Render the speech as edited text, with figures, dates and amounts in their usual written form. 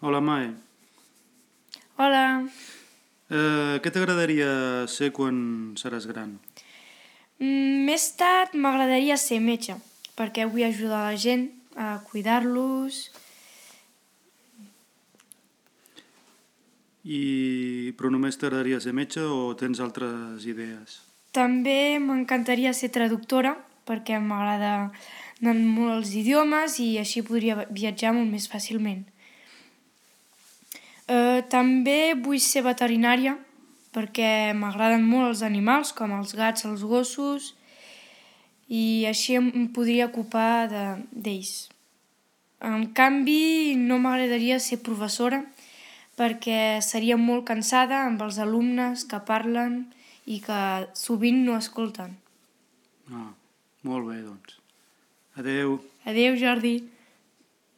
Hola, Mae. Hola. Què t'agradaria ser quan seràs gran? Més tard m'agradaria ser metge, perquè vull ajudar la gent a cuidar-los. Però només t'agradaria ser metge o tens altres idees? També m'encantaria ser traductora, perquè m'agraden molt els idiomes i així podria viatjar molt més fàcilment. També vull ser veterinària, perquè m'agraden molt els animals, com els gats, els gossos, i així em podria ocupar d'ells. En canvi, no m'agradaria ser professora perquè seria molt cansada amb els alumnes que parlen i que sovint no escolten. Molt bé, doncs. Adeu. Adéu, Jordi.